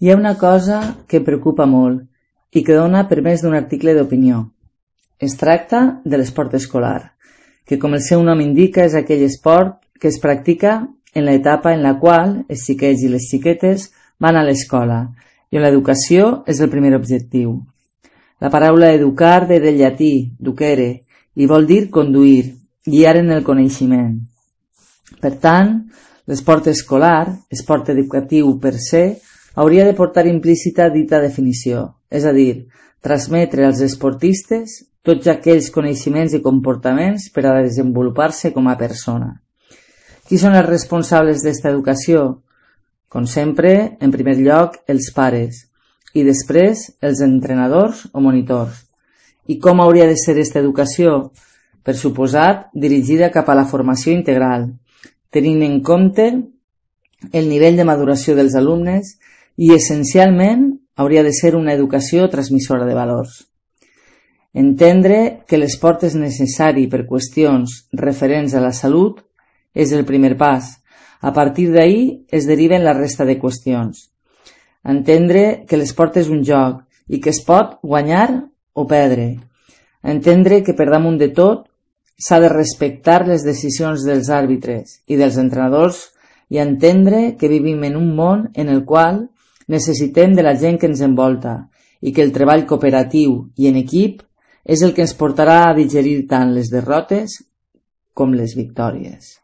Hi ha una cosa que em preocupa molt i que dona per més d'un article d'opinió. Es tracta de l'esport escolar, que com el seu nom indica és aquell esport que es practica en l'etapa en la qual els xiquets i les xiquetes van a l'escola i on l'educació és el primer objectiu. La paraula educar ve del llatí, ducere, i vol dir conduir, guiar en el coneixement. Per tant, l'esport escolar, esport educatiu per se, hauria de portar implícita dita definició, és a dir, transmetre als esportistes tots aquells coneixements i comportaments per a desenvolupar-se com a persona. Qui són els responsables d'esta educació? Com sempre, en primer lloc, els pares i després els entrenadors o monitors. I com hauria de ser aquesta educació? Per suposat, dirigida cap a la formació integral, tenint en compte el nivell de maduració dels alumnes i, essencialment, hauria de ser una educació transmissora de valors. Entendre que l'esport és necessari per qüestions referents a la salut és el primer pas. A partir d'ahí es deriven la resta de qüestions. Entendre que l'esport és un joc i que es pot guanyar o perdre. Entendre que per damunt de tot s'ha de respectar les decisions dels àrbitres i dels entrenadors i entendre que vivim en un món en el qual necessitem de la gent que ens envolta i que el treball cooperatiu i en equip és el que ens portarà a digerir tant les derrotes com les victòries.